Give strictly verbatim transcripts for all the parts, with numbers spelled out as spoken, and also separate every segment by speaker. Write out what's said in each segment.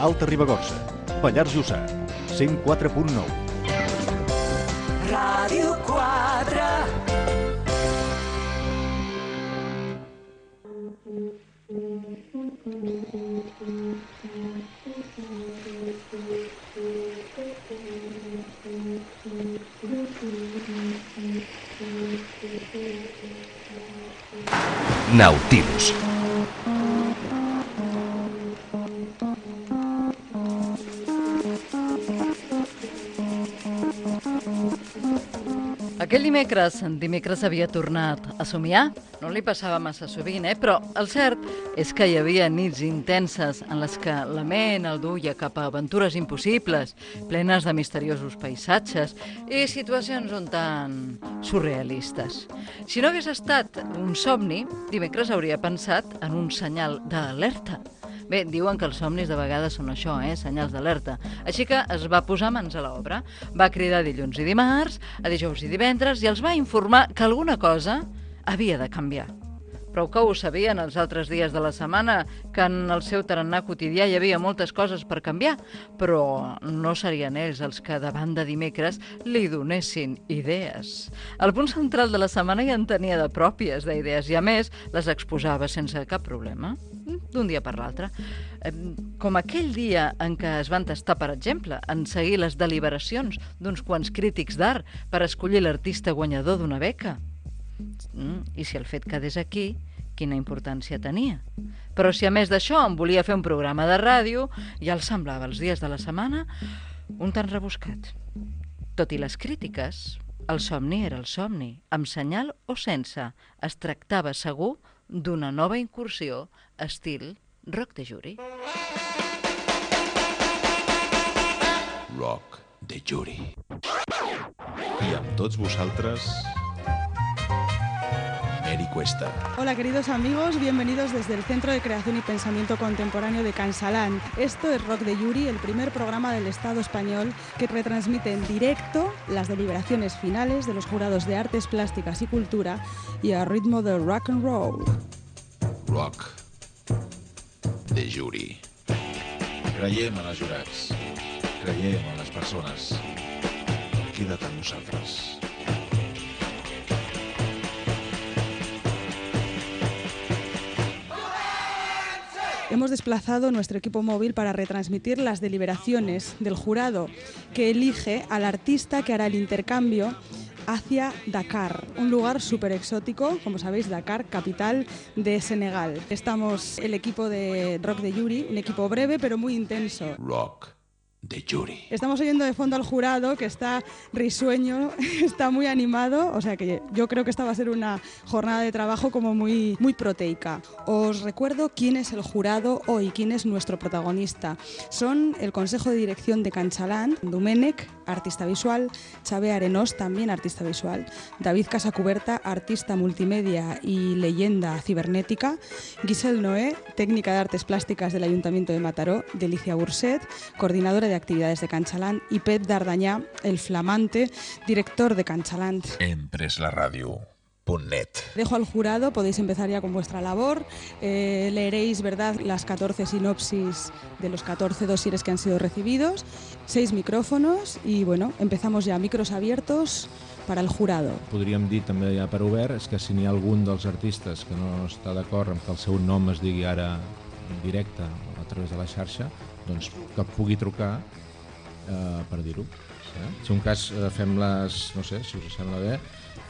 Speaker 1: Alta Ribagorça, Pallars Jussà, cent quatre punt nou.
Speaker 2: Ràdio quatre.
Speaker 3: Nautilus.
Speaker 4: Aquell dimecres, dimecres havia tornat a somiar. No li passava massa sovint, eh? Però el cert és que hi havia nits intenses en les que la ment el duia cap a aventures impossibles, plenes de misteriosos paisatges i situacions un tant surrealistes. Si no hagués estat un somni, dimecres hauria pensat en un senyal d'alerta. Bé, diuen que els somnis de vegades són això, eh? Senyals d'alerta. Així que es va posar mans a l'obra. Va cridar dilluns i dimarts, a dijous i divendres, i els va informar que alguna cosa havia de canviar. Prou que ho sabien els altres dies de la setmana, que en el seu tarannà quotidià hi havia moltes coses per canviar, però no serien ells els que davant de dimecres li donessin idees. El punt central de la setmana ja en tenia de pròpies d'idees i, a més, les exposava sense cap problema, d'un dia per l'altre. Com aquell dia en què es van tastar, per exemple, en seguir les deliberacions d'uns quants crítics d'art per escollir l'artista guanyador d'una beca. Mm, I si el fet quedés aquí, quina importància tenia? Però si a més d'això em volia fer un programa de ràdio, ja el semblava els dies de la setmana un tant rebuscat. Tot i les crítiques, el somni era el somni, amb senyal o sense. Es tractava segur d'una nova incursió estil Rock de Jury.
Speaker 1: Rock de Jury. I amb tots vosaltres, Mary Cuesta.
Speaker 5: Hola queridos amigos, bienvenidos desde el Centro de Creación y Pensamiento Contemporáneo de Cansalán. Esto es Rock de Jury, el primer programa del Estado español que retransmite en directo las deliberaciones finales de los jurados de Artes Plásticas y Cultura y a ritmo de rock and roll.
Speaker 1: Rock de Jury. Creiem en els jurats, creiem en les persones. Queda't amb nosaltres.
Speaker 5: Hemos desplazado nuestro equipo móvil para retransmitir las deliberaciones del jurado que elige al artista que hará el intercambio hacia Dakar, un lugar súper exótico, como sabéis, Dakar, capital de Senegal. Estamos el equipo de Rock de Jury, un equipo breve pero muy intenso.
Speaker 1: Rock de Jury.
Speaker 5: Estamos oyendo de fondo al jurado que está risueño, está muy animado, o sea que yo creo que esta va a ser una jornada de trabajo como muy, muy proteica. Os recuerdo quién es el jurado hoy, quién es nuestro protagonista. Son el Consejo de Dirección de Cansalán, Domènec, artista visual, Xavier Arenós, también artista visual, David Casacuberta, artista multimedia y leyenda cibernética, Giselle Noé, técnica de artes plásticas del Ayuntamiento de Mataró, Delicia Burset, coordinadora de actividades de Cansalán, y Pep Dardanyà, el flamante director de Cansalán.
Speaker 1: Empresaradio punto net.
Speaker 5: Dejo al jurado, podéis empezar ya con vuestra labor. Eh, leeréis, ¿verdad?, las catorce sinopsis de los catorce dosieres que han sido recibidos, seis micrófonos y, bueno, empezamos ya, micros abiertos para el jurado.
Speaker 6: Podríem dir també ja per obert és que si n'hi ha algun dels artistes que no està d'acord amb que el seu nom es digui ara en directe o a través de la xarxa, doncs que pugui trucar eh, per dir-ho. Eh? Si un cas eh, fem les, no sé, si us sembla bé,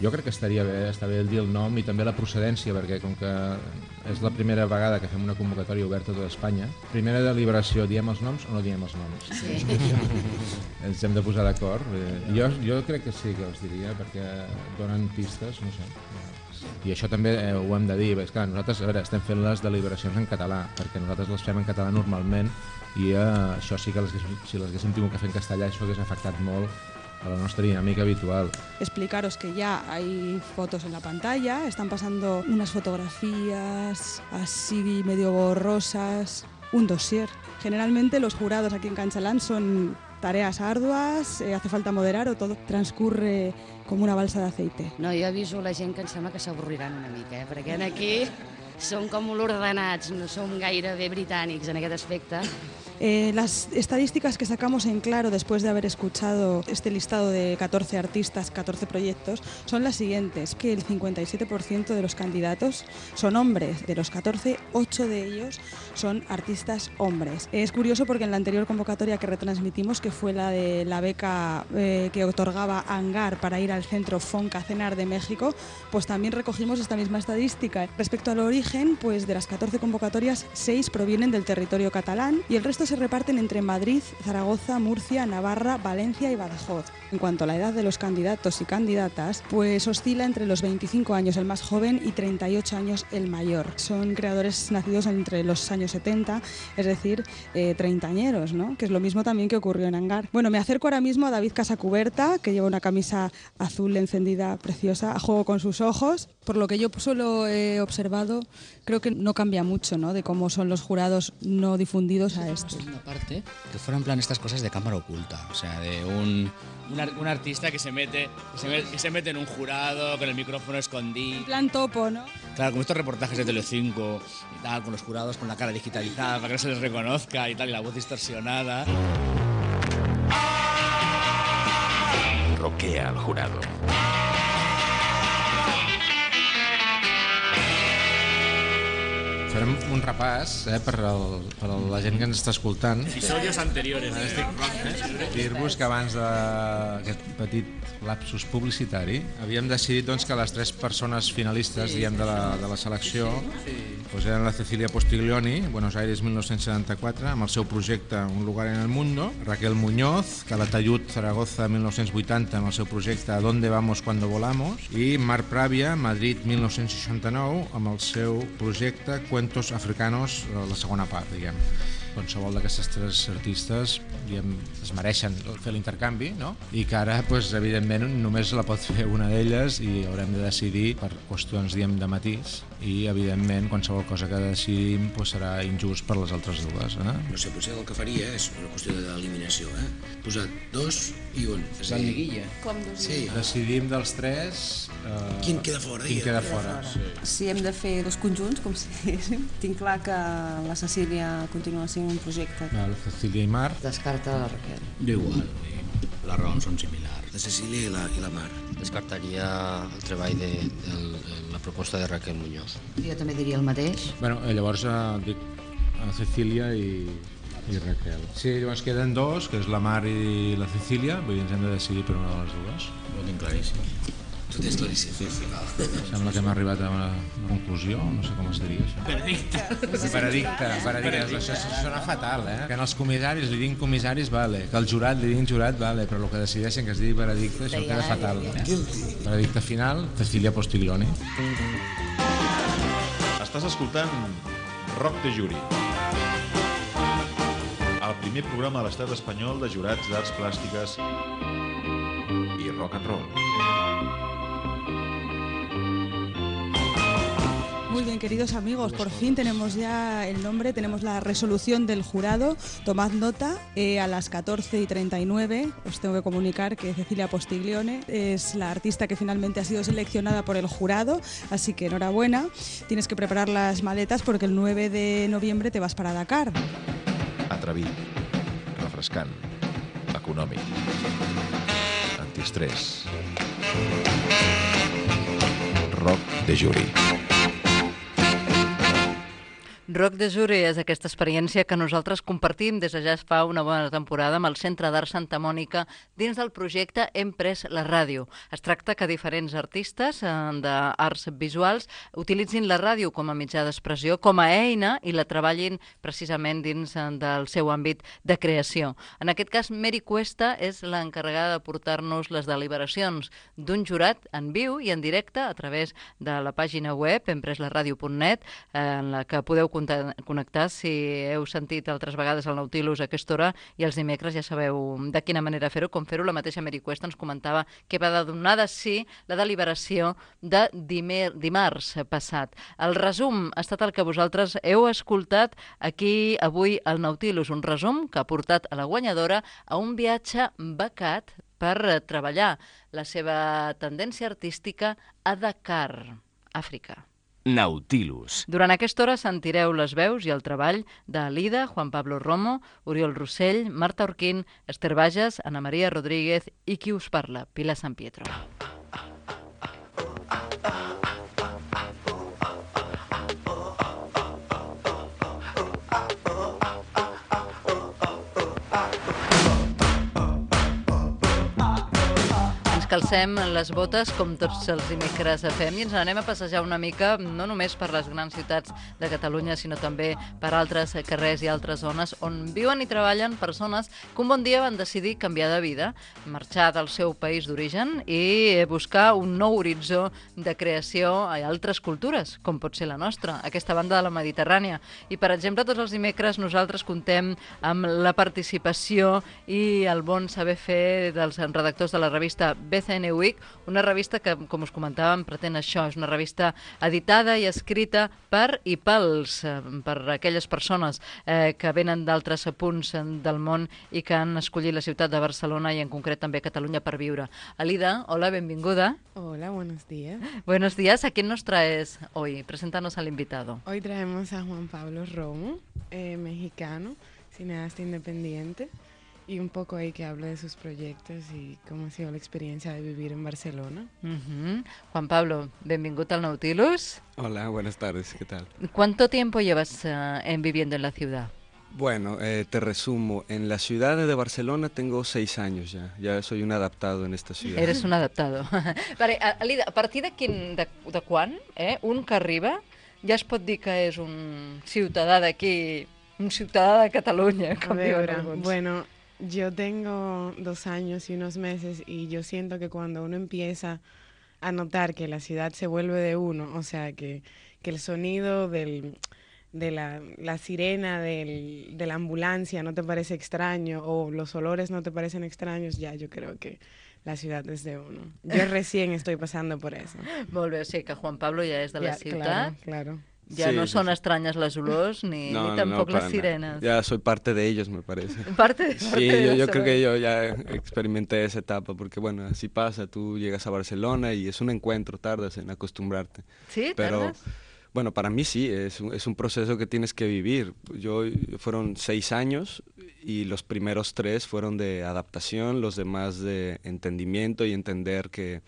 Speaker 6: jo crec que estaria bé, està bé el dir el nom i també la procedència, perquè com que és la primera vegada que fem una convocatòria oberta a tota Espanya, primera deliberació, diem els noms o no diem els noms? Sí. Ens hem de posar d'acord. Jo, jo crec que sí que els diria, perquè donen pistes, no sé. I això també eh, ho hem de dir, és clar, nosaltres a veure, estem fent les deliberacions en català, perquè nosaltres les fem en català normalment i eh, això sí que les, si les haguéssim tingut que fer en castellà això hagués afectat molt a la nuestra dinámica habitual.
Speaker 5: Explicaros que ya hay fotos en la pantalla, están pasando unas fotografías así medio borrosas, un dossier. Generalmente los jurados aquí en Cansalán son tareas arduas, eh, hace falta moderar o todo transcurre com una balsa d'aceite.
Speaker 7: No, jo aviso la gent que em sembla que s'avorriran una mica, eh? Perquè aquí som com molt ordenats, no som gaire bé britànics en aquest aspecte.
Speaker 5: Eh, las estadísticas que sacamos en claro después de haber escuchado este listado de catorce artistas, catorce proyectos, son las siguientes, que el cincuenta y siete por ciento de los candidatos son hombres. De los catorce, ocho de ellos son artistas hombres. Es curioso porque en la anterior convocatoria que retransmitimos, que fue la de la beca eh, que otorgaba Hangar para ir al centro Fonca Cenar de México, pues también recogimos esta misma estadística. Respecto al origen, pues de las catorce convocatorias, seis provienen del territorio catalán y el resto se reparten entre Madrid, Zaragoza, Murcia, Navarra, Valencia y Badajoz. En cuanto a la edad de los candidatos y candidatas, pues oscila entre los veinticinco años el más joven y treinta y ocho años el mayor. Son creadores nacidos entre los años setenta, es decir, eh, treintañeros, ¿no? Que es lo mismo también que ocurrió en Hangar. Bueno, me acerco ahora mismo a David Casacuberta, que lleva una camisa azul encendida preciosa, a juego con sus ojos. Por lo que yo solo he observado, creo que no cambia mucho, ¿no?, de cómo son los jurados no difundidos a este.
Speaker 2: Una parte que fuera en plan estas cosas de cámara oculta, o sea, de un, un, ar, un artista que se, mete, que, se mete, que se mete en un jurado con el micrófono escondido.
Speaker 5: En plan topo, ¿no?
Speaker 2: Claro, como estos reportajes de Telecinco y tal, con los jurados con la cara digitalizada para que no se les reconozca y tal, y la voz distorsionada.
Speaker 1: Roquea al jurado.
Speaker 6: Farem un repàs eh, per, el, per la gent que ens està escoltant.
Speaker 2: Episodios anteriores.
Speaker 6: Eh? Dir-vos que abans d'aquest petit lapsus publicitari havíem decidit doncs, que les tres persones finalistes, diguem, de, la, de la selecció doncs, eren la Cecilia Postiglioni, Buenos Aires mil nou-cents setanta-quatre, amb el seu projecte Un lugar en el mundo, Raquel Muñoz, Calatayud, Zaragoza mil nou-cents vuitanta, amb el seu projecte ¿A dónde vamos cuando volamos? I Marc Pravia, Madrid mil nou-cents seixanta-nou, amb el seu projecte Cuentos africanos, la segona part, diguem. Qualsevol d'aquestes tres artistes diguem, es mereixen fer l'intercanvi, no? I que ara, doncs, evidentment, només la pot fer una d'elles i haurem de decidir per qüestions diguem, de matís i, evidentment, qualsevol cosa que decidim doncs, serà injust per les altres dues. Eh?
Speaker 3: No sé, potser el que faria és una qüestió d'eliminació, eh? Posar dos i un.
Speaker 2: La liguilla.
Speaker 8: Com dos
Speaker 3: sí.
Speaker 6: Decidim dels tres... Eh,
Speaker 3: quin queda fora?
Speaker 6: Quin queda fora. Sí.
Speaker 8: Si hem de fer dos conjunts, com si diguéssim, tinc clar que la Cecília continua sent un projecte.
Speaker 6: La Cecília i Mar.
Speaker 7: Descarta la Raquel.
Speaker 2: Jo igual, les raons són similars.
Speaker 3: La Cecília i la, i la Mar.
Speaker 9: Descartaria el treball de, de, de la proposta de Raquel Muñoz.
Speaker 7: Jo també diria el mateix.
Speaker 6: Bueno, llavors eh, dic a Cecília i, i Raquel. Sí, llavors queden dos, que és la Mar i la Cecília, vull dir, ens hem de decidir per una de les dues.
Speaker 2: Ho tinc claríssim.
Speaker 3: Tu tens claríssim.
Speaker 6: Sembla que hem arribat a una conclusió, no sé com es diria això.
Speaker 2: Veredicte.
Speaker 6: Veredicte, veredicte. Això sona fatal, eh? Que en els comissaris li diguin comissaris, vale. Que al jurat li diguin jurat, vale. Però el que decideixen que es digui veredicte, això queda fatal. Veredicte final, Cecilia Postiglioni.
Speaker 1: Estàs escoltant Rock de Jury, el primer programa a l'estat espanyol de jurats d'arts plàstiques i rock and roll.
Speaker 5: Muy bien, queridos amigos, por fin tenemos ya el nombre, tenemos la resolución del jurado. Tomad nota, eh, a las catorce y treinta y nueve os tengo que comunicar que Cecilia Postiglione es la artista que finalmente ha sido seleccionada por el jurado, así que enhorabuena. Tienes que preparar las maletas porque el nueve de noviembre te vas para Dakar.
Speaker 1: Atrevit, refrescant, econòmic, antiestrès. Rock de Jury.
Speaker 4: Rock de Jury és aquesta experiència que nosaltres compartim des de ja fa una bona temporada amb el Centre d'Art Santa Mònica dins del projecte Hem pres la ràdio. Es tracta que diferents artistes d'arts visuals utilitzin la ràdio com a mitjà d'expressió, com a eina, i la treballin precisament dins del seu àmbit de creació. En aquest cas, Mary Cuesta és l'encarregada de portar-nos les deliberacions d'un jurat en viu i en directe a través de la pàgina web hem pres la ràdio punt net, en la que podeu connectar si heu sentit altres vegades el Nautilus a aquesta hora, i els dimecres ja sabeu de quina manera fer-ho, com fer-ho. La mateixa Mary Cuesta ens comentava que va de donar de sí la deliberació de dimer, dimarts passat. El resum ha estat el que vosaltres heu escoltat aquí avui al Nautilus, un resum que ha portat a la guanyadora a un viatge becat per treballar la seva tendència artística a Dakar, Àfrica.
Speaker 10: Nautilus.
Speaker 4: Durant aquesta hora sentireu les veus i el treball d'Alida, Juan Pablo Romo, Oriol Rossell, Marta Orquín, Esther Bages, Ana Maria Rodríguez i qui us parla, Pilar San Pietro. Calcem les botes com tots els dimecres fem i ens anem a passejar una mica no només per les grans ciutats de Catalunya sinó també per altres carrers i altres zones on viuen i treballen persones que un bon dia van decidir canviar de vida, marxar del seu país d'origen i buscar un nou horitzó de creació a altres cultures, com pot ser la nostra, aquesta banda de la Mediterrània. I per exemple, tots els dimecres nosaltres contem amb la participació i el bon saber fer dels redactors de la revista B C N Week, una revista que, com us comentàvem, pretén això, és una revista editada i escrita per i pels, per aquelles persones eh, que venen d'altres punts del món i que han escollit la ciutat de Barcelona i en concret també Catalunya per viure. Alida, hola, benvinguda.
Speaker 11: Hola, buenos días.
Speaker 4: Buenos días, ¿a quién nos traes hoy? Preséntanos al invitado.
Speaker 11: Hoy traemos a Juan Pablo Romo, eh, mexicano, cineasta independiente. Y un poco ahí que habla de sus proyectos y cómo ha sido la experiencia de vivir en Barcelona.
Speaker 4: Uh-huh. Juan Pablo, bienvenido al Nautilus.
Speaker 12: Hola, buenas tardes, ¿qué tal?
Speaker 4: ¿Cuánto tiempo llevas uh, en viviendo en la ciudad?
Speaker 12: Bueno, eh, te resumo, en la ciudad de Barcelona tengo seis años ya, ya soy un adaptado en esta ciudad.
Speaker 4: Eres un adaptado. Vale, Alida, a partir de, quin, de, de quan eh, un que arriba ja es pot dir que és un ciutadà d'aquí, un ciutadà de Catalunya, com diuen alguns?
Speaker 11: Bueno, yo tengo dos años y unos meses y yo siento que cuando uno empieza a notar que la ciudad se vuelve de uno, o sea, que, que el sonido del, de la, la sirena del, de la ambulancia no te parece extraño o los olores no te parecen extraños, ya yo creo que la ciudad es de uno. Yo recién estoy pasando por eso.
Speaker 4: Molt bé, o sigui que Juan Pablo ja és de la
Speaker 11: ya,
Speaker 4: ciutat.
Speaker 11: Claro, claro.
Speaker 4: Ya sí, no son sí, extrañas las olores ni,
Speaker 12: no,
Speaker 4: ni tampoco
Speaker 12: no,
Speaker 4: las sirenas.
Speaker 12: Nada. Ya soy parte de ellos, me parece.
Speaker 4: Parte de, parte
Speaker 12: sí,
Speaker 4: de
Speaker 12: yo, yo creo que yo ya experimenté esa etapa, porque bueno, así pasa, tú llegas a Barcelona y es un encuentro, tardas en acostumbrarte.
Speaker 4: ¿Sí?
Speaker 12: Pero,
Speaker 4: ¿Tardas?
Speaker 12: Bueno, para mí sí, es un, es un proceso que tienes que vivir. Yo fueron seis años y los primeros tres fueron de adaptación, los demás de entendimiento y entender que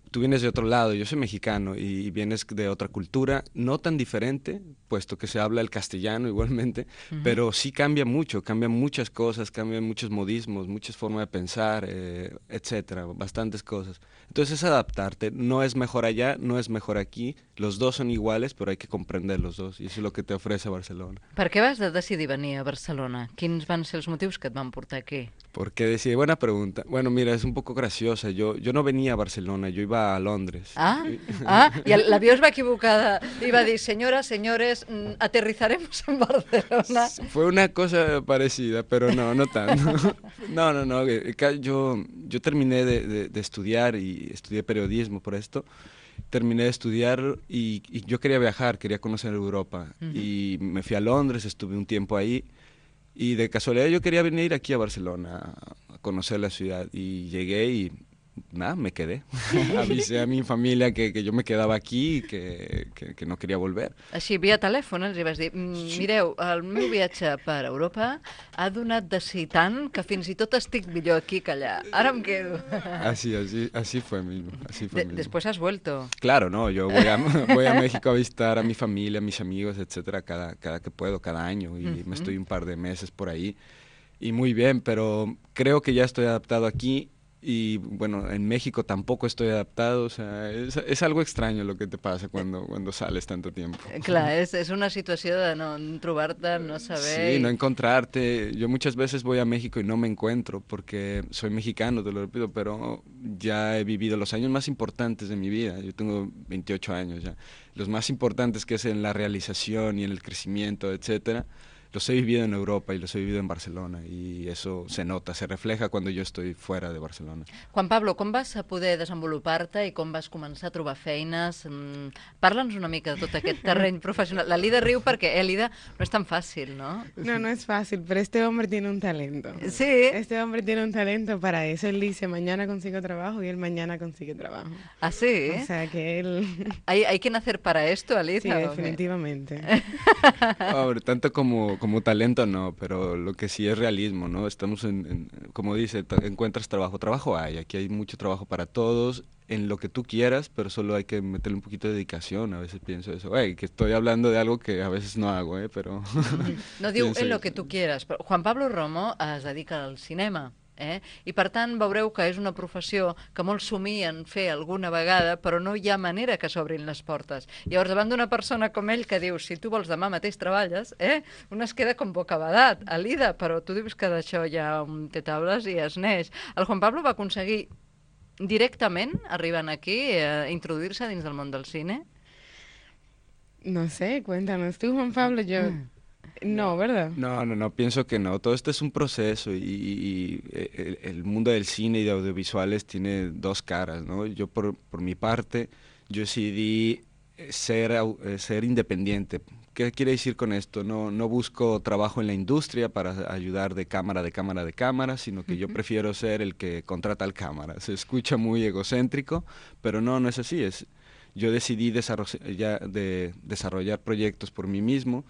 Speaker 12: tú vienes de otro lado, yo soy mexicano y vienes de otra cultura, no tan diferente, puesto que se habla el castellano igualmente, uh-huh. pero sí cambia mucho, cambian muchas cosas, cambian muchos modismos, muchas formas de pensar, eh, etcétera, bastantes cosas. Entonces es adaptarte, no es mejor allá, no es mejor aquí, los dos son iguales, pero hay que comprender los dos, y eso es lo que te ofrece Barcelona.
Speaker 4: Per què vas decidir venir a Barcelona? Quins van ser els motius que et van portar aquí?
Speaker 12: ¿Por qué decidí? Buena pregunta. Bueno, mira, es un poco graciosa, yo, yo no venía a Barcelona, yo iba a Londres.
Speaker 4: Ah, ah i l'avió es va equivocar i va dir, señoras, señores, aterrizaremos en Barcelona.
Speaker 12: Fue una cosa parecida, pero no, no tanto. No, no, no, yo, yo terminé de, de, de estudiar y estudié periodismo por esto. Terminé de estudiar y, y yo quería viajar, quería conocer Europa. Uh-huh. Y me fui a Londres, estuve un tiempo ahí. Y de casualidad yo quería venir aquí a Barcelona a conocer la ciudad. Y llegué y nada, me quedé. Avisé a mi familia que, que yo me quedaba aquí y que, que, que no quería volver.
Speaker 4: Així, via telèfon, els hi vas dir, mireu, el meu viatge per Europa ha donat de si tant que fins i tot estic millor aquí que allá. Ara em quedo.
Speaker 12: Así, así, así fue mismo. Así fue
Speaker 4: de,
Speaker 12: mismo.
Speaker 4: Después has vuelto.
Speaker 12: Claro, no, yo voy a, voy a México a visitar a mi familia, a mis amigos, etcétera, cada, cada que puedo, cada año, y uh-huh. me estoy un par de meses por ahí. Y muy bien, pero creo que ya estoy adaptado aquí. Y bueno, en México tampoco estoy adaptado, o sea, es, es algo extraño lo que te pasa cuando, cuando sales tanto tiempo.
Speaker 4: Clar, és, és una situació de no trobar-te, no saber...
Speaker 12: Sí, no encontrarte. Yo muchas veces voy a México y no me encuentro porque soy mexicano, te lo repito, pero ya he vivido los años más importantes de mi vida. Yo tengo veintiocho años ya. Los más importantes que es en la realización y en el crecimiento, etcétera. los he vivido en Europa y los he vivido en Barcelona, y eso se nota, se refleja cuando yo estoy fuera de Barcelona.
Speaker 4: Juan Pablo, com vas poder desenvolupar-te i com vas començar a trobar feines? Mm, Parla'ns una mica de tot aquest terreny professional. La Lida riu perquè, eh, Lida, no és tan fàcil, ¿no?
Speaker 11: No, no es fácil, pero este hombre tiene un talento.
Speaker 4: Sí.
Speaker 11: Este hombre tiene un talento para eso. Él dice, mañana consigo trabajo, y él mañana consigue trabajo.
Speaker 4: ¿Ah, sí?
Speaker 11: O sea, que él...
Speaker 4: ¿Hay, hay que nacer para esto, Alida?
Speaker 11: Sí, definitivamente.
Speaker 12: Ahora, tanto como, como talento no, pero lo que sí es realismo, ¿no? Estamos en, en como dice, encuentras trabajo, trabajo hay, aquí hay mucho trabajo para todos, en lo que tú quieras, pero solo hay que meterle un poquito de dedicación. A veces pienso eso, hey, que estoy hablando de algo que a veces no hago, ¿eh? Pero...
Speaker 4: No diu en lo que tu quieras, però Juan Pablo Romo es dedica al cinema. Eh? I per tant veureu que és una professió que molts somien fer alguna vegada, però no hi ha manera que s'obrin les portes. Llavors, davant d'una persona com ell que diu, si tu vols demà mateix treballes, eh? un es queda com bocabadat, Alida, però tu dius que d'això ja un té taules i es neix. El Juan Pablo va aconseguir directament, arribant aquí, a introduir-se dins del món del cine?
Speaker 11: No sé, cuéntanos tú, Juan Pablo, yo... Mm. No, ¿verdad?
Speaker 12: No, no, no, pienso que no. Todo esto es un proceso y, y el, el mundo del cine y de audiovisuales tiene dos caras, ¿no? Yo por, por mi parte, yo decidí ser, ser independiente. ¿Qué quiere decir con esto? No, no busco trabajo en la industria para ayudar de cámara, de cámara, de cámara, sino que yo prefiero ser el que contrata al cámara. Se escucha muy egocéntrico, pero no, no es así. Es, yo decidí desarrollar, de, desarrollar proyectos por mí mismo,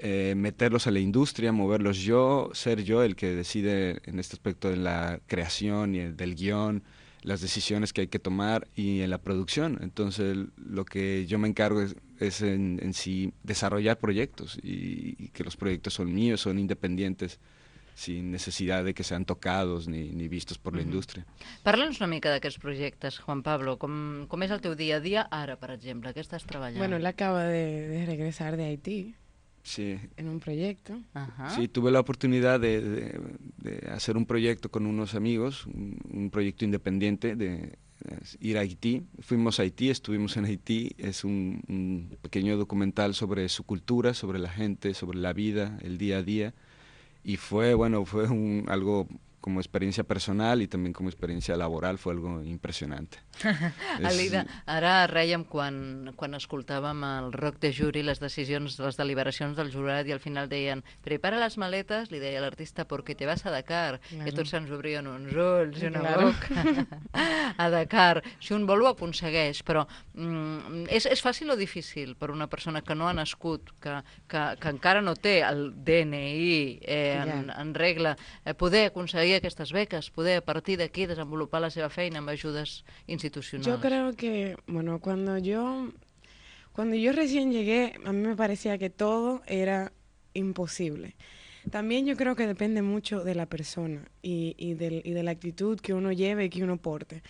Speaker 12: Eh, meterlos a la industria, moverlos yo, ser yo el que decide en este aspecto de la creación y el, del guión, las decisiones que hay que tomar y en la producción. Entonces lo que yo me encargo es, es en, en sí desarrollar proyectos y, y que los proyectos son míos, son independientes, sin necesidad de que sean tocados ni, ni vistos por la indústria.
Speaker 4: Parla'ns una mica d'aquests projectes, Juan Pablo. Com, com és el teu dia a dia ara, per exemple? Què estàs treballant?
Speaker 11: Bueno, él acaba de, de regresar de Haití.
Speaker 12: Sí.
Speaker 11: En un proyecto.
Speaker 4: Ajá.
Speaker 12: Sí, tuve la oportunidad de, de, de hacer un proyecto con unos amigos, un, un proyecto independiente de, de ir a Haití. Fuimos a Haití, estuvimos en Haití. Es un, un pequeño documental sobre su cultura, sobre la gente, sobre la vida, el día a día. Y fue, bueno, fue un, algo como experiencia personal y también como experiencia laboral, fue algo impressionante.
Speaker 4: Alida, ara rèiem quan, quan escoltàvem el rock de juri, les decisions, les deliberacions del jurat, i al final deien, prepara les maletes, li deia l'artista, perquè te vas a Dakar, claro. I tots se'ns obrien uns ulls i una claro. boca. A Dakar. Si un vol ho aconsegueix, però mm, és, és fàcil o difícil per una persona que no ha nascut, que, que, que encara no té el D N I eh, en, yeah. en regla, eh, poder aconseguir aquestes beques, poder a partir d'aquí desenvolupar la seva feina amb ajudes institucionals?
Speaker 11: Yo creo que, bueno, cuando yo, cuando yo recién llegué, a mí me parecía que todo era imposible. También yo creo que depende mucho de la persona y, y, del, y de la actitud que uno lleve y que uno porte.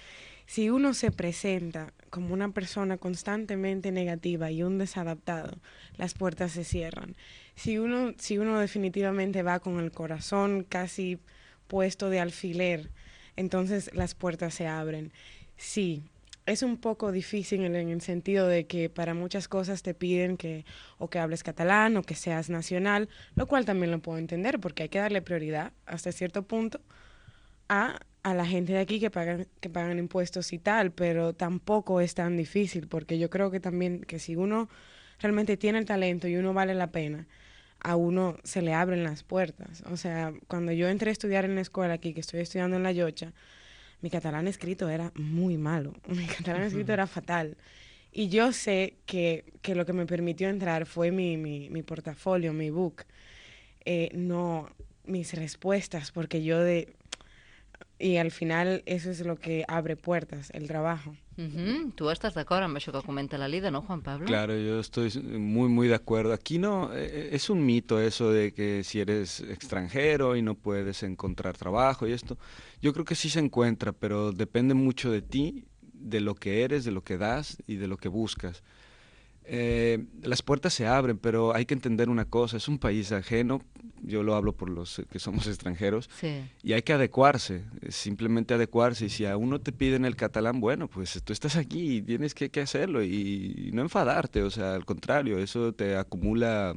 Speaker 11: Si uno se presenta como una persona constantemente negativa y un desadaptado, las puertas se cierran. Si uno, si uno definitivamente va con el corazón casi puesto de alfiler, entonces las puertas se abren. Sí, es un poco difícil en el sentido de que para muchas cosas te piden que o que hables catalán o que seas nacional, lo cual también lo puedo entender porque hay que darle prioridad hasta cierto punto a, a la gente de aquí que pagan, que pagan impuestos y tal, pero tampoco es tan difícil porque yo creo que también que si uno realmente tiene el talento y uno vale la pena, a uno se le abren las puertas. O sea, cuando yo entré a estudiar en la escuela aquí, que estoy estudiando en La Llotja, mi catalán escrito era muy malo, mi catalán escrito era fatal. Y yo sé que, que lo que me permitió entrar fue mi, mi, mi portafolio, mi book, eh, no mis respuestas, porque yo de... Y al final eso es lo que abre puertas, el trabajo.
Speaker 4: Uh-huh. Tu estàs d'acord amb això que comenta la Lida, ¿no, Juan Pablo?
Speaker 12: Claro, yo estoy muy, muy de acuerdo. Aquí no, eh, es un mito eso de que si eres extranjero y no puedes encontrar trabajo y esto. Yo creo que sí se encuentra, pero depende mucho de ti, de lo que eres, de lo que das y de lo que buscas. Eh, las puertas se abren, pero hay que entender una cosa, es un país ajeno, yo lo hablo por los que somos extranjeros,
Speaker 4: sí.
Speaker 12: y hay que adecuarse, simplemente adecuarse, y si a uno te piden el catalán, bueno, pues tú estás aquí y tienes que, que hacerlo, y, y no enfadarte, o sea, al contrario, eso te acumula,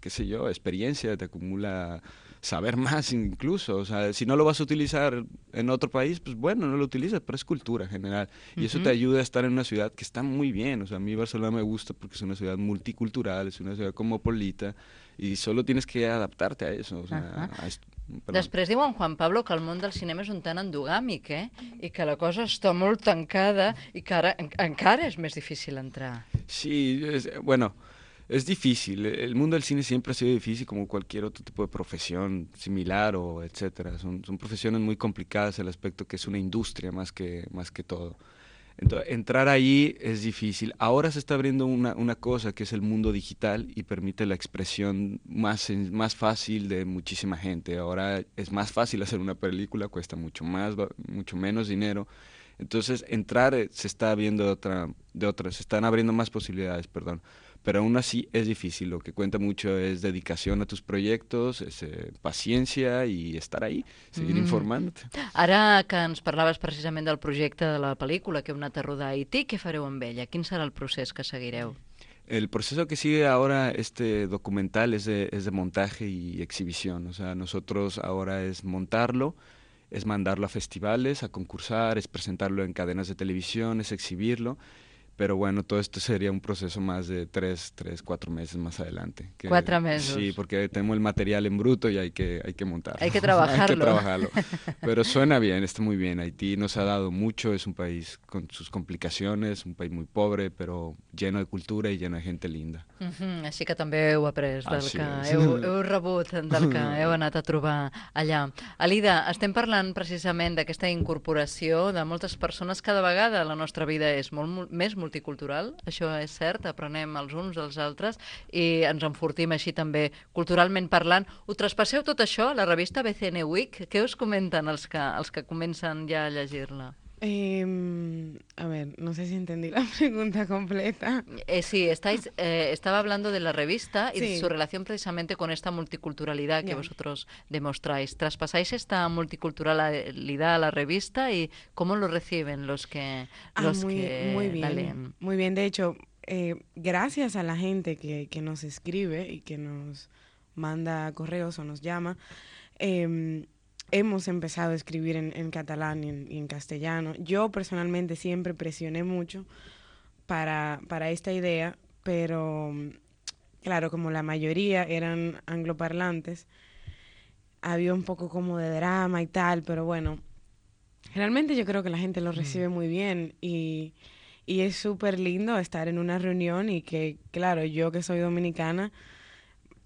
Speaker 12: qué sé yo, experiencia, te acumula saber más incluso, o sea, si no lo vas a utilizar en otro país, pues bueno, no lo utilizas, pero es cultura en general, y uh-huh. eso te ayuda a estar en una ciudad que está muy bien, o sea, a mí Barcelona me gusta porque es una ciudad multicultural, es una ciudad cosmopolita, y solo tienes que adaptarte a eso, o sea,
Speaker 4: uh-huh.
Speaker 12: a esto. Perdó.
Speaker 4: Després diu en Juan Pablo que el món del cinema és un tant endogàmic, eh? I que la cosa està molt tancada i que ara en, encara és més difícil entrar.
Speaker 12: Sí, es, bueno, es difícil. El mundo del cine siempre ha sido difícil como cualquier otro tipo de profesión similar o etcétera. Son, son profesiones muy complicadas, el aspecto que es una industria más que, más que todo. Entonces, entrar ahí es difícil. Ahora se está abriendo una, una cosa que es el mundo digital y permite la expresión más, más fácil de muchísima gente. Ahora es más fácil hacer una película, cuesta mucho más, mucho menos dinero. Entonces, entrar se está abriendo de otra, de otra, se están abriendo más posibilidades, perdón. Pero aún así es difícil, lo que cuenta mucho es dedicación a tus proyectos, es, eh, paciencia y estar ahí, seguir mm. informándote.
Speaker 4: Ara que ens parlaves precisament del projecte de la pel·lícula que heu anat a rodar a Haití, què fareu amb ella? Quin serà el procés que seguireu?
Speaker 12: El proceso que sigue ahora este documental es de, es de montaje y exhibición, o sea, nosotros ahora es montarlo, es mandarlo a festivales, a concursar, es presentarlo en cadenas de televisión, es exhibirlo. Pero bueno, todo esto sería un proceso más de tres, tres, cuatro meses más adelante. Que,
Speaker 4: cuatro meses.
Speaker 12: Sí, porque tenemos el material en bruto y hay que, hay que montarlo.
Speaker 4: Hay que trabajarlo.
Speaker 12: Hay que trabajarlo. Pero suena bien, está muy bien. Haití nos ha dado mucho, es un país con sus complicaciones, un país muy pobre, pero lleno de cultura y lleno de gente linda.
Speaker 4: Uh-huh. Així que també heu après del
Speaker 12: Així
Speaker 4: que
Speaker 12: és.
Speaker 4: heu, heu rebut, del que heu anat a trobar allà. Alida, estem parlant precisament d'aquesta incorporació de moltes persones. Cada vegada la nostra vida és molt més multicultural, això és cert, aprenem els uns dels altres i ens enfortim així també culturalment parlant. Ho traspasseu tot això a la revista B C N Week? Què us comenten els que, els que comencen ja a llegir-la?
Speaker 11: Eh, a ver, no sé si entendí la pregunta completa.
Speaker 4: Eh, sí, estáis, eh, estaba hablando de la revista y
Speaker 11: sí.
Speaker 4: de su relación precisamente con esta multiculturalidad que yeah. vosotros demostráis. ¿Traspasáis esta multiculturalidad a la revista y cómo lo reciben los que,
Speaker 11: ah,
Speaker 4: los
Speaker 11: muy,
Speaker 4: que
Speaker 11: muy bien,
Speaker 4: la leen?
Speaker 11: Muy bien, de hecho, eh, gracias a la gente que, que nos escribe y que nos manda correos o nos llama, eh, hemos empezado a escribir en, en catalán y en, y en castellano. Yo personalmente siempre presioné mucho para, para esta idea, pero claro, como la mayoría eran angloparlantes, había un poco como de drama y tal, pero bueno, realmente yo creo que la gente lo recibe muy bien y, y es súper lindo estar en una reunión y que, claro, yo que soy dominicana,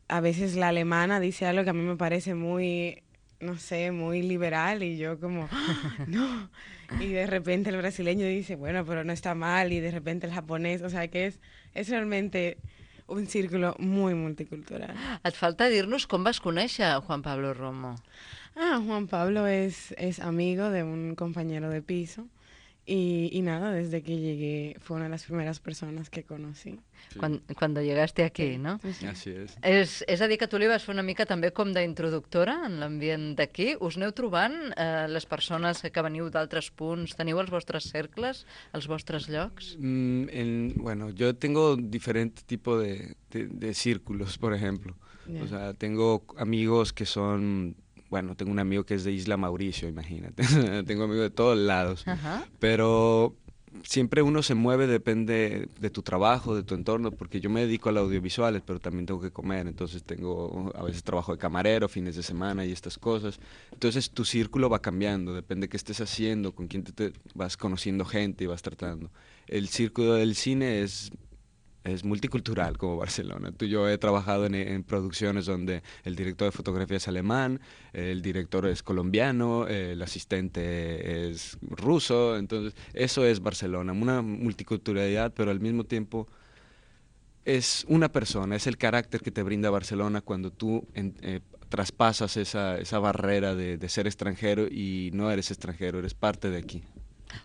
Speaker 11: a veces la alemana dice algo que a mí me parece muy... no sé, muy liberal y yo como, no, y de repente el brasileño dice, bueno, pero no está mal, y de repente el japonés, o sea que es, es realmente un círculo muy multicultural.
Speaker 4: Et falta dir-nos com vas conèixer a Juan Pablo Romo.
Speaker 11: Ah, Juan Pablo es, es amigo de un compañero de piso y, y nada, desde que llegué fue una de las primeras personas que conocí.
Speaker 4: Sí. Quan, cuando llegaste aquí, no?
Speaker 12: Sí. Así es.
Speaker 4: És, és a dir, que tu li vas fer una mica també com d'introductora en l'ambient d'aquí. Us aneu trobant eh, les persones que veniu d'altres punts? Teniu els vostres cercles, els vostres llocs?
Speaker 12: Mm, en, bueno, yo tengo diferente tipo de, de, de círculos, por ejemplo. Yeah. O sea, tengo amigos que son... Bueno, tengo un amigo que es de Isla Mauricio, imagínate. Tengo amigos de todos lados. Uh-huh. Pero siempre uno se mueve, depende de tu trabajo, de tu entorno, porque yo me dedico a las audiovisuales, pero también tengo que comer. Entonces tengo, a veces trabajo de camarero, fines de semana y estas cosas. Entonces tu círculo va cambiando, depende de qué estés haciendo, con quién te, te vas conociendo gente y vas tratando. El círculo del cine es... es multicultural como Barcelona. Tú, yo he trabajado en, en producciones donde el director de fotografía es alemán, el director es colombiano, el asistente es ruso, entonces eso es Barcelona, una multiculturalidad, pero al mismo tiempo es una persona, es el carácter que te brinda Barcelona cuando tú en, eh, traspasas esa, esa barrera de, de ser extranjero y no eres extranjero, eres parte de aquí.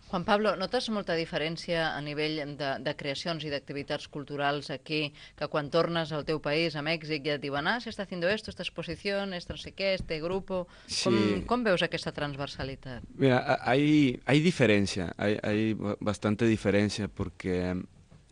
Speaker 4: Juan Pablo, notes molta diferència a nivell de, de creacions i d'activitats culturals aquí, que quan tornes al teu país, a Mèxic, ja et diuen, ah, se està haciendo esto, esta exposición, este no sé qué, este grupo...
Speaker 12: Sí.
Speaker 4: Com, com veus aquesta transversalitat?
Speaker 12: Mira, hay, hay diferencia, hay, hay bastante diferencia porque,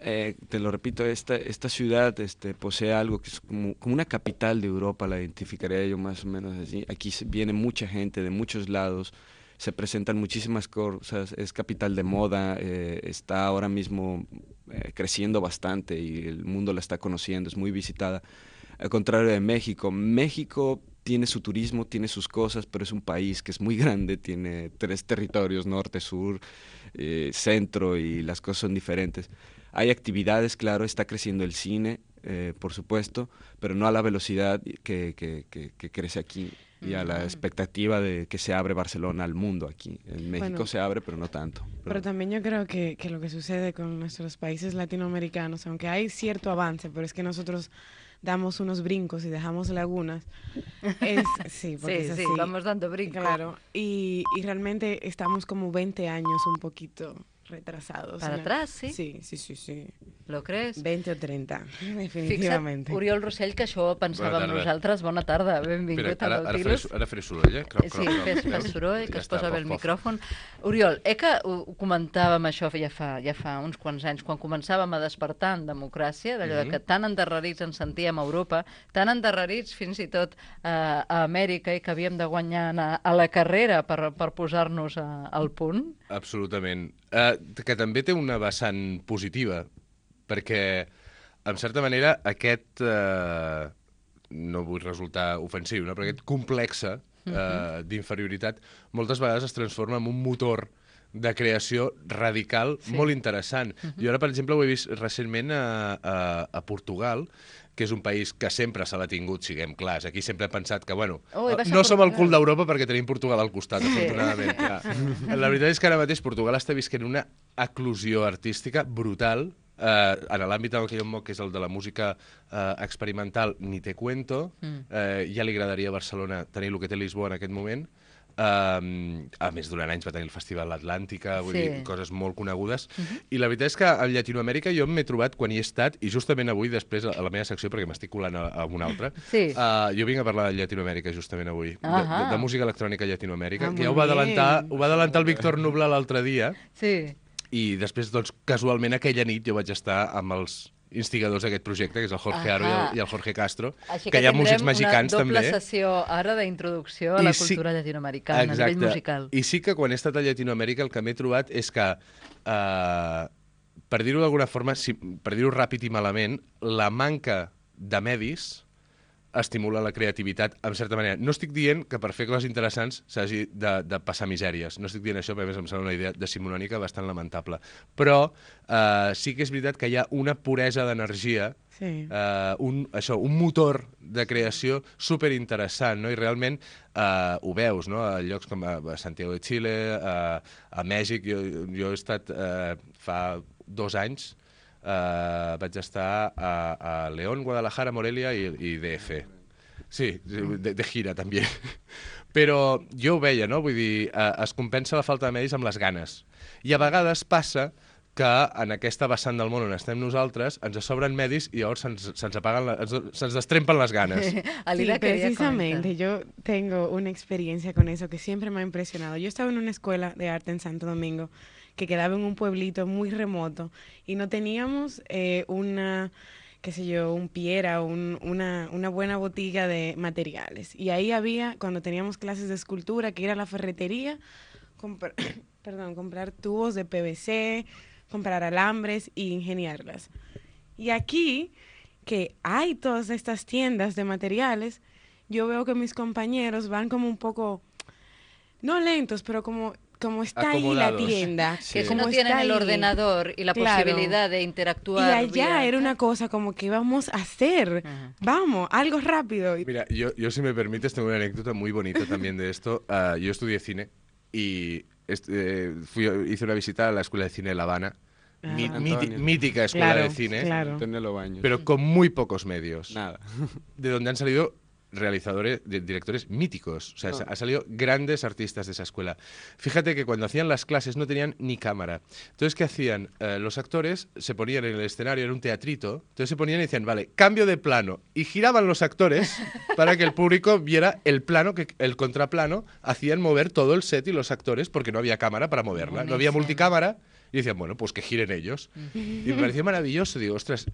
Speaker 12: eh, te lo repito, esta, esta ciudad este, posee algo que es como, como una capital de Europa, la identificaría yo más o menos así. Aquí viene mucha gente de muchos lados, se presentan muchísimas cosas, es capital de moda, eh, está ahora mismo eh, creciendo bastante y el mundo la está conociendo, es muy visitada. Al contrario de México, México tiene su turismo, tiene sus cosas, pero es un país que es muy grande, tiene tres territorios, norte, sur, eh, centro, y las cosas son diferentes. Hay actividades, claro, está creciendo el cine, eh, por supuesto, pero no a la velocidad que, que, que, que crece aquí. Y a la expectativa de que se abre Barcelona al mundo aquí. En México
Speaker 11: bueno,
Speaker 12: se abre, pero no tanto. Pero,
Speaker 11: pero también yo creo que, que lo que sucede con nuestros países latinoamericanos, aunque hay cierto avance, pero es que nosotros damos unos brincos y dejamos lagunas. Es, sí, porque
Speaker 4: sí,
Speaker 11: es así.
Speaker 4: sí, vamos dando brincos.
Speaker 11: Claro, y, y realmente estamos como veinte años un poquito retrasados.
Speaker 4: ¿Para
Speaker 11: ¿no?
Speaker 4: atrás, sí?
Speaker 11: Sí, sí, sí, sí.
Speaker 4: Lo crees?
Speaker 11: veinte o trenta, definitivamente.
Speaker 4: Fixa't, Oriol Rossell, que això ho pensàvem nosaltres. Bona tarda, benvingut
Speaker 10: Espera, ara,
Speaker 4: al
Speaker 10: ara,
Speaker 4: Nautilus.
Speaker 10: faré, ara faré soroll, eh? Crop,
Speaker 4: Sí,
Speaker 10: crop, crop,
Speaker 4: fes,
Speaker 10: veus?
Speaker 4: fes soroll, que
Speaker 10: Ja
Speaker 4: es
Speaker 10: està,
Speaker 4: posa bé el
Speaker 10: pof, pof.
Speaker 4: micròfon. Oriol, eh que ho ho comentàvem això ja fa, ja fa uns quants anys, quan començàvem a despertar en democràcia, d'allò
Speaker 10: Mhm.
Speaker 4: de que tan endarrerits ens sentíem a Europa, tan endarrerits fins i tot eh, a Amèrica, i que havíem de guanyar a, a la carrera per, per posar-nos a, al punt.
Speaker 10: Absolutament. Uh, que també té una vessant positiva, perquè, en certa manera, aquest, uh, no vull resultar ofensiu, no? però aquest complexe uh, d'inferioritat moltes vegades es transforma en un motor de creació radical
Speaker 13: Sí.
Speaker 10: molt interessant.
Speaker 13: Mhm.
Speaker 10: Jo ara, per exemple, ho he vist recentment a, a, a Portugal, que és un país que sempre se l'ha tingut, siguem clars. Aquí sempre he pensat que, bueno,
Speaker 4: Oh, i vas a
Speaker 10: no som el
Speaker 4: Portugal.
Speaker 10: cul d'Europa perquè tenim Portugal al costat,
Speaker 4: Sí.
Speaker 10: afortunadament. Ja. La veritat és que ara mateix Portugal està visquent una eclosió artística brutal, eh, en l'àmbit en què jo em moc, que és el de la música eh, experimental, ni te cuento.
Speaker 13: Mm.
Speaker 10: Eh, ja li agradaria a Barcelona tenir el que té Lisboa en aquest moment. Um, a més, durant anys va tenir el Festival Atlàntica, vull
Speaker 13: Sí.
Speaker 10: dir, coses molt conegudes.
Speaker 13: Mhm.
Speaker 10: I la veritat és que a Llatinoamèrica jo m'he trobat quan hi he estat, i justament avui, després, a la meva secció, perquè m'estic colant a, a una altra,
Speaker 4: Sí.
Speaker 10: uh, jo vinc a parlar de Llatinoamèrica justament avui, de, de,
Speaker 4: Ahà.
Speaker 10: de música electrònica a Llatinoamèrica,
Speaker 4: Ah,
Speaker 10: que ja ho
Speaker 4: molt
Speaker 10: va adelantar,
Speaker 4: bé.
Speaker 10: ho va adelantar el Víctor Nubla l'altre dia,
Speaker 4: Sí.
Speaker 10: i després, doncs, casualment, aquella nit jo vaig estar amb els instigadors d'aquest projecte, que és el Jorge Aro i
Speaker 4: Ahà.
Speaker 10: el, i el Jorge Castro,
Speaker 4: Així
Speaker 10: que hi ha músics
Speaker 4: tindrem
Speaker 10: mexicans
Speaker 4: una doble
Speaker 10: també.
Speaker 4: sessió ara d'introducció a la
Speaker 10: I sí-
Speaker 4: cultura llatinoamericana, a nivell musical.
Speaker 10: I sí que quan he estat a Llatinoamèrica el que m'he trobat és que, eh, per dir-ho d'alguna forma, si, per dir-ho ràpid i malament, la manca de medis estimula la creativitat, en certa manera. No estic dient que per fer coses interessants s'hagi de, de passar misèries. No estic dient això, perquè a més em sembla una idea decimonònica bastant lamentable. Però eh, sí que és veritat que hi ha una puresa d'energia,
Speaker 11: Sí.
Speaker 10: eh, un, això, un motor de creació superinteressant, no? I realment eh, ho veus, no? A llocs com a, a Santiago de Chile, a, a Mèxic. Jo, jo he estat eh, fa dos anys, Uh, vaig estar a, a León, Guadalajara, Morelia i, i D F. Sí, de, de gira també. Però jo ho veia, no? Vull dir, uh, es compensa la falta de medis amb les ganes. I a vegades passa que en aquesta vessant del món on estem nosaltres ens sobren medis i llavors se'ns se apaguen, la, se'ns destrempen les ganes.
Speaker 11: Sí, precisamente, yo tengo una experiencia con eso que siempre me ha impresionado. Yo estaba en una escuela de arte en Santo Domingo que quedaba en un pueblito muy remoto y no teníamos eh, una, qué sé yo, un piera, un, una, una buena botiga de materiales. Y ahí había, cuando teníamos clases de escultura, que ir a la ferretería, comprar, perdón, comprar tubos de P V C, comprar alambres e ingeniarlas. Y aquí, que hay todas estas tiendas de materiales, yo veo que mis compañeros van como un poco, no lentos, pero como... como está ahí la
Speaker 4: Acomodados.
Speaker 11: tienda.
Speaker 4: Que si
Speaker 11: como
Speaker 4: no tienen
Speaker 11: está
Speaker 4: el
Speaker 11: ahí.
Speaker 4: ordenador y la
Speaker 11: Claro.
Speaker 4: posibilidad de
Speaker 11: Y
Speaker 4: interactuar.
Speaker 11: allá
Speaker 4: vía-
Speaker 11: era una cosa como que vamos a hacer, vamos, algo rápido.
Speaker 10: Mira, yo, yo si me permites tengo una anécdota muy bonita también de esto. Uh, yo estudié cine y est- eh, fui, hice una visita a la Escuela de Cine de La Habana.
Speaker 12: Ah.
Speaker 10: Mi-
Speaker 12: Antonio.
Speaker 10: miti- mítica escuela
Speaker 12: Claro,
Speaker 10: de cine,
Speaker 12: claro. Antonio Lobaños.
Speaker 10: pero con muy pocos medios.
Speaker 12: Nada.
Speaker 10: De donde han salido realizadores, directores míticos. O sea, oh. ha salido grandes artistas de esa escuela. Fíjate que cuando hacían las clases no tenían ni cámara. Entonces, ¿qué hacían? Eh, los actores se ponían en el escenario, era un teatrito, entonces se ponían y decían, vale, cambio de plano. Y giraban los actores para que el público viera el plano, que el contraplano, hacían mover todo el set y los actores porque no había cámara para moverla. No había multicámara y decían, bueno, pues que giren ellos. Y me pareció maravilloso. Digo, ostras,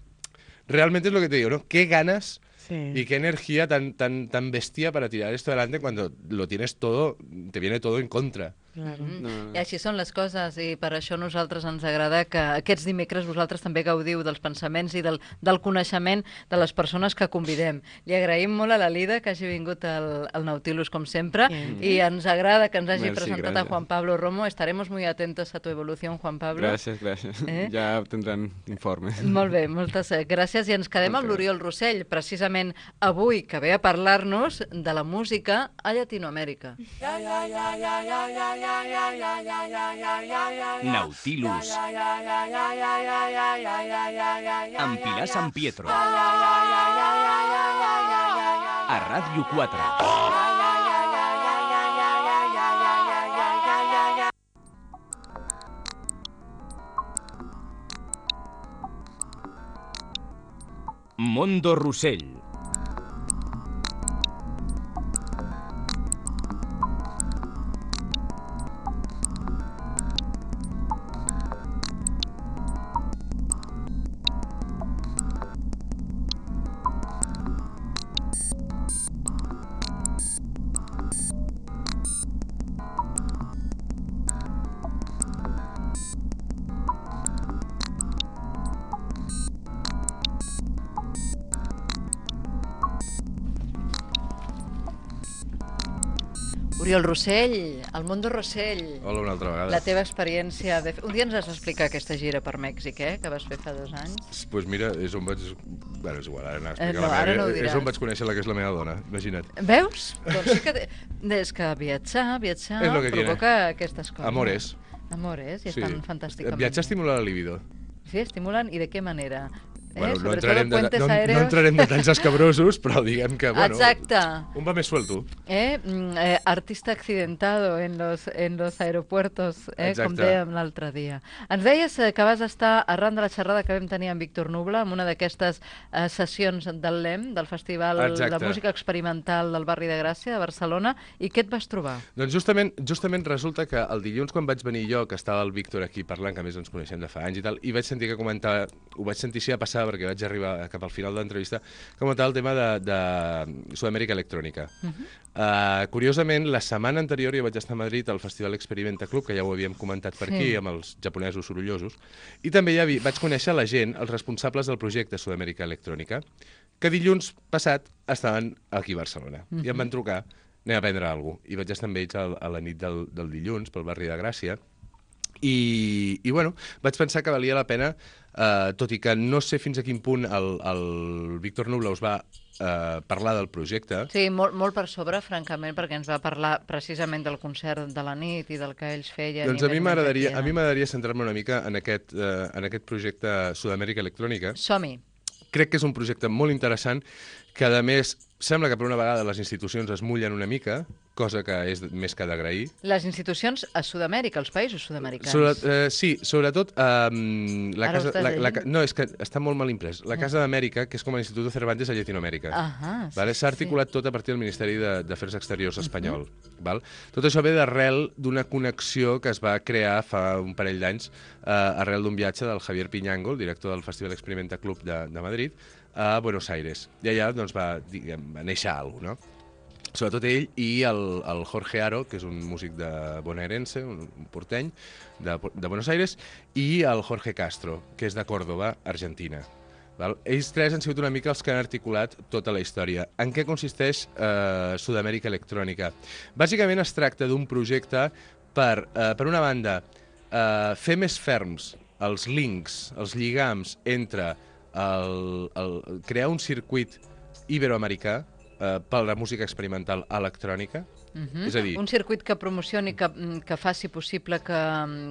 Speaker 10: realmente es lo que te digo, ¿no? Qué ganas... Sí. Y qué energía tan, tan, tan bestia para tirar esto adelante cuando lo tienes todo, te viene todo en contra.
Speaker 4: Claro. Mm. No, no. I així són les coses, i per això a nosaltres ens agrada que aquests dimecres vosaltres també gaudiu dels pensaments i del, del coneixement de les persones que convidem. Li agraïm molt a la Lida que hagi vingut al, al Nautilus com sempre, mm. i ens agrada que ens hagi Merci, presentat gracias. A Juan Pablo Romo. Estaremos muy atentos a tu evolución, Juan Pablo.
Speaker 12: Gràcies, gràcies. Eh? Ja tindran informes.
Speaker 4: Molt bé, moltes gràcies. I ens quedem amb l'Oriol Rossell, precisament avui, que ve a parlar-nos de la música a Llatinoamèrica. Ja, ja, ja, ja, ja, ja.
Speaker 13: Nautilus amb Pilar San Pietro a Ràdio quatre. Mondo Rossell.
Speaker 4: Oriol Rossell, el Mondo Rossell.
Speaker 10: Hola, una altra vegada.
Speaker 4: La teva experiència... De... Un dia ens has d'explicar aquesta gira per Mèxic, eh?, que vas fer fa dos anys.
Speaker 10: Doncs pues mira, és on vaig... Bueno, és igual, ara anar a explicar eh, no, la meva... No és on vaig conèixer la que és la meva dona, imagina't.
Speaker 4: Veus? Doncs sí que... És que viatjar, viatjar provoca tiene. Aquestes coses.
Speaker 10: Amores.
Speaker 4: Amores, i sí. Estan fantàsticament.
Speaker 10: Viatjar estimula la libido.
Speaker 4: Sí, estimulen, i de què manera?
Speaker 10: Bueno,
Speaker 4: eh?
Speaker 10: no, entrarem de, no, no entrarem de detalls escabrosos, però diguem que, bueno,
Speaker 4: exacte.
Speaker 10: Un va més suelto.
Speaker 4: Eh? Eh, artista accidentado en los, en los aeropuertos, eh? Com dèiem l'altre dia. Ens deies que vas estar arran de la xerrada que vam tenir amb Víctor Nubla, en una d'aquestes eh, sessions del L E M, del Festival Exacte. De Música Experimental del Barri de Gràcia, de Barcelona, i què et vas trobar?
Speaker 10: Doncs justament, justament resulta que el dilluns quan vaig venir jo, que estava el Víctor aquí parlant, que a més ens coneixem de fa anys i tal, i vaig sentir que comentar, ho vaig sentir si a passar perquè vaig arribar cap al final de l'entrevista, comentar el tema de, de Sud-amèrica electrònica. Uh -huh. uh, curiosament, la setmana anterior jo vaig estar a Madrid al Festival Experimenta Club, que ja ho havíem comentat per sí. aquí, amb els japonesos sorollosos, i també ja vi, vaig conèixer la gent, els responsables del projecte Sud-amèrica electrònica, que dilluns passat estaven aquí a Barcelona, uh -huh. i em van trucar, anem a prendre alguna cosa, i vaig estar amb ells a, a la nit del, del dilluns, pel barri de Gràcia, I, i bueno, vaig pensar que valia la pena, eh, tot i que no sé fins a quin punt el, el Víctor Nubla us va eh, parlar del projecte.
Speaker 4: Sí, molt, molt per sobre, francament, perquè ens va parlar precisament del concert de la nit i del que ells feien.
Speaker 10: Doncs a mi m'agradaria a mi m'agradaria centrar-me una mica en aquest, eh, en aquest projecte Sud-amèrica electrònica.
Speaker 4: Som-hi.
Speaker 10: Crec que és un projecte molt interessant, que a més sembla que per una vegada les institucions es mullen una mica, cosa que és més que d'agrair.
Speaker 4: Les institucions a Sud-amèrica, els països sud-americans.
Speaker 10: Sobre, eh, sí, sobretot... Eh, la casa, la, la, no, és que està molt mal imprès. La Casa d'Amèrica, que és com l'Institut Cervantes a Llatinoamèrica.
Speaker 4: Ah,
Speaker 10: vale? S'ha articulat sí. tot a partir del Ministeri d'Afers Exteriors espanyol. Uh-huh. Val? Tot això ve d'arrel d'una connexió que es va crear fa un parell d'anys eh, arrel d'un viatge del Javier Piñango, el director del Festival Experimenta Club de, de Madrid, a Buenos Aires. I allà doncs, va, diguem, va néixer alguna cosa, no? Sobretot ell i el, el Jorge Aro, que és un músic de bonaerense, un, un porteny, de, de Buenos Aires, i el Jorge Castro, que és de Córdoba, Argentina. Val? Ells tres han sigut una mica els que han articulat tota la història. En què consisteix eh, Sud-amèrica electrònica? Bàsicament es tracta d'un projecte per, eh, per una banda, eh, fer més ferms els links, els lligams entre el, el, crear un circuit iberoamericà eh, per la música experimental electrònica.
Speaker 4: Uh-huh.
Speaker 10: És a dir,
Speaker 4: un circuit que promocioni, que, que faci possible que,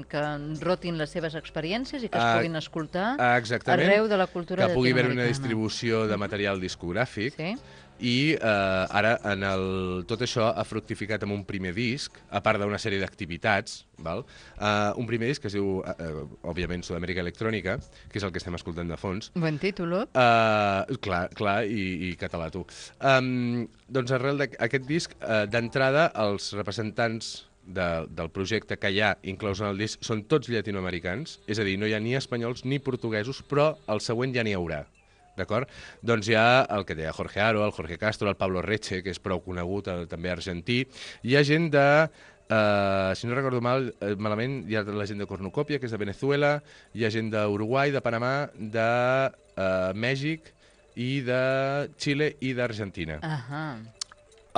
Speaker 4: que rotin les seves experiències i que es
Speaker 10: uh,
Speaker 4: puguin escoltar
Speaker 10: uh,
Speaker 4: arreu de la cultura
Speaker 10: que pugui haver
Speaker 4: llatinoamericana.
Speaker 10: Una distribució de material discogràfic.
Speaker 4: Sí.
Speaker 10: i eh, ara en el, tot això ha fructificat amb un primer disc, a part d'una sèrie d'activitats, val? Uh, un primer disc que es diu, uh, òbviament, Sud-amèrica Electrònica, que és el que estem escoltant de fons.
Speaker 4: Buen títol.
Speaker 10: Uh, clar, clar, i, i català, tu. Um, doncs arrel d'aquest disc, uh, d'entrada, els representants de, del projecte que hi ha inclòs en el disc són tots llatinoamericans, és a dir, no hi ha ni espanyols ni portuguesos, però el següent ja n'hi haurà. D'acord? Doncs hi ha el que deia Jorge Aro, el Jorge Castro, el Pablo Reche, que és prou conegut, el, també argentí. Hi ha gent de, uh, si no recordo mal, uh, malament, hi ha la gent de Cornucòpia, que és de Venezuela, hi ha gent d'Uruguai, de Panamà, de uh, Mèxic, i de Xile i d'Argentina.
Speaker 4: Ahà.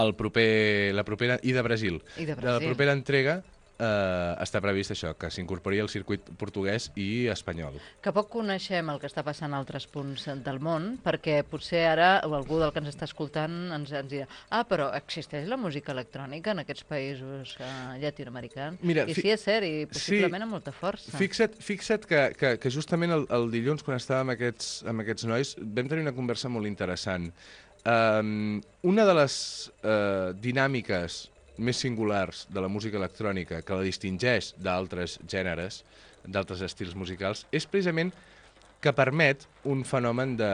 Speaker 10: El proper, la propera, i de Brasil.
Speaker 4: I de
Speaker 10: De
Speaker 4: Brasil.
Speaker 10: la propera entrega eh, està previst això, que s'incorpori al circuit portuguès i espanyol.
Speaker 4: Que poc coneixem el que està passant a altres punts del món, perquè potser ara algú del que ens està escoltant ens, ens dirà ah, però existeix la música electrònica en aquests països uh, llatinoamericans?
Speaker 10: Mira,
Speaker 4: I
Speaker 10: fi-
Speaker 4: sí, és cert, i possiblement
Speaker 10: sí,
Speaker 4: amb molta força.
Speaker 10: Fixa't, fixa't que, que, que justament el, el dilluns, quan estàvem amb aquests, amb aquests nois, vam tenir una conversa molt interessant. Um, una de les uh, dinàmiques més singulars de la música electrònica que la distingeix d'altres gèneres, d'altres estils musicals, és precisament que permet un fenomen de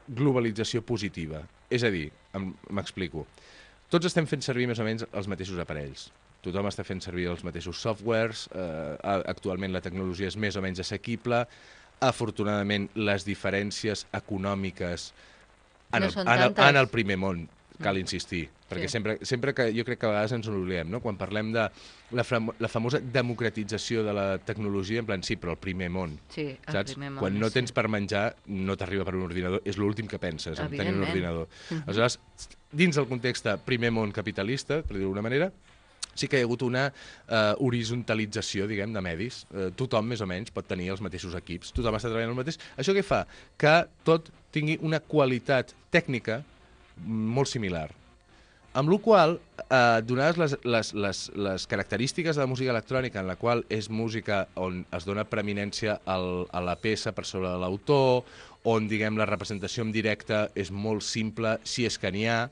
Speaker 10: globalització positiva. És a dir, em- m'explico, tots estem fent servir més o menys els mateixos aparells. Tothom està fent servir els mateixos softwares, eh, actualment la tecnologia és més o menys assequible, afortunadament les diferències econòmiques en
Speaker 4: No
Speaker 10: el,
Speaker 4: són
Speaker 10: en el,
Speaker 4: tantes.
Speaker 10: en el primer món, cal insistir, perquè
Speaker 4: Sí.
Speaker 10: sempre, sempre que jo crec que a vegades ens n'oblidem, no? Quan parlem de la, fam la famosa democratització de la tecnologia, en plan, sí, però el primer món,
Speaker 4: Sí, el
Speaker 10: saps?
Speaker 4: primer món,
Speaker 10: Quan no
Speaker 4: sí.
Speaker 10: tens per menjar, no t'arriba per un ordinador, és l'últim que penses, en tenir un
Speaker 4: Evidentment.
Speaker 10: ordinador.
Speaker 4: Mhm.
Speaker 10: Aleshores, dins del context de primer món capitalista, per dir-ho d'alguna manera, sí que hi ha hagut una eh, horizontalització, diguem, de medis. Eh, tothom, més o menys, pot tenir els mateixos equips, tothom està treballant el mateix. Això què fa? Que tot tingui una qualitat tècnica molt similar. Amb la qual cosa, eh, donades les, les, les, les característiques de la música electrònica, en la qual és música on es dona preeminència al, a la peça per sobre de l'autor, on, diguem, la representació en directe és molt simple, si és que n'hi ha,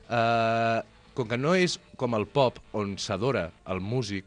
Speaker 10: eh, com que no és com el pop, on s'adora el músic,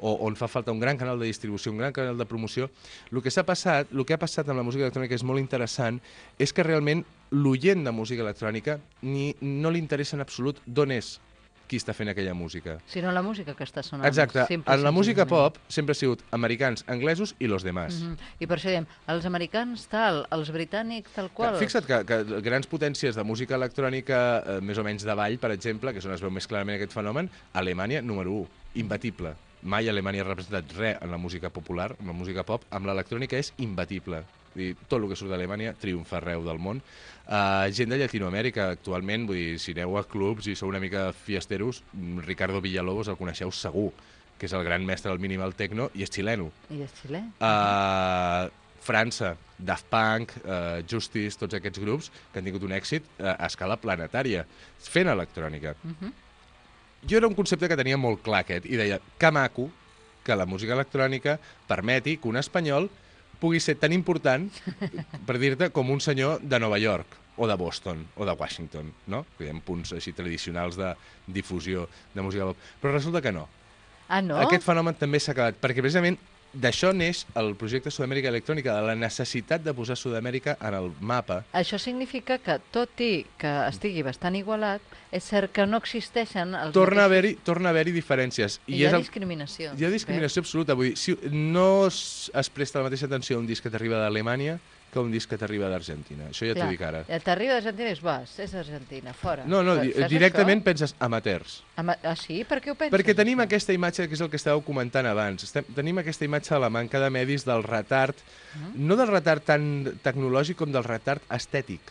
Speaker 10: o on fa falta un gran canal de distribució, un gran canal de promoció, el que s'ha passat, el que ha passat amb la música electrònica és molt interessant, és que realment l'oient de música electrònica ni, no li interessa en absolut d'on és qui està fent aquella música.
Speaker 4: Sinó la música que està sonant.
Speaker 10: Exacte.
Speaker 4: simple i
Speaker 10: En la música
Speaker 4: senzillament.
Speaker 10: pop sempre ha sigut americans, anglesos i los demás.
Speaker 4: Mhm. I per això diem, els americans tal, els britànics tal qual.
Speaker 10: Fixa't que, que grans potències de música electrònica, eh, més o menys de ball, per exemple, que és on es veu més clarament aquest fenomen, Alemanya, número u, imbatible. Mai Alemanya ha representat res en la música popular, en la música pop, amb l'electrònica és imbatible. Vull dir, tot el que surt d'Alemanya triomfa arreu del món. Uh, gent de Llatinoamèrica, actualment, vull dir, si aneu a clubs i sou una mica fiesteros, Ricardo Villalobos el coneixeu segur, que és el gran mestre del minimal techno i és xileno.
Speaker 4: I és xilè.
Speaker 10: Uh, França, Daft Punk, uh, Justice, tots aquests grups que han tingut un èxit uh, a escala planetària, fent electrònica.
Speaker 4: Mhm.
Speaker 10: Jo era un concepte que tenia molt clar aquest, i deia, que maco que la música electrònica permeti que un espanyol pugui ser tan important, per dir-te, com un senyor de Nova York, o de Boston, o de Washington, no? Hi ha punts així tradicionals de difusió de música pop. Però resulta que no.
Speaker 4: Ah, no?
Speaker 10: Aquest fenomen també s'ha acabat, perquè precisament d'això neix el projecte Sud-amèrica Electrònica, de la necessitat de posar Sud-amèrica en el mapa.
Speaker 4: Això significa que, tot i que estigui bastant igualat, és cert que no existeixen els
Speaker 10: Torna a
Speaker 4: mateixos-
Speaker 10: haver-hi torna a haver-hi diferències.
Speaker 4: I hi ha
Speaker 10: és el-
Speaker 4: discriminació.
Speaker 10: Hi ha discriminació absoluta. Vull dir, si no es, es presta la mateixa atenció a un disc que t'arriba d'Alemanya que a un disc que t'arriba d'Argentina. Això ja t'ho
Speaker 4: Clar,
Speaker 10: dic ara.
Speaker 4: eh, T'arriba d'Argentina i dius, vas, és Argentina, fora.
Speaker 10: No, no,
Speaker 4: Però
Speaker 10: di-
Speaker 4: fas
Speaker 10: directament
Speaker 4: això?
Speaker 10: penses amateurs.
Speaker 4: Ama- Ah, sí? Per què ho penses?
Speaker 10: Perquè tenim aquesta imatge, que és el que estàveu comentant abans, estem, tenim aquesta imatge de la manca de medis, del retard, no del retard tan tecnològic com del retard estètic.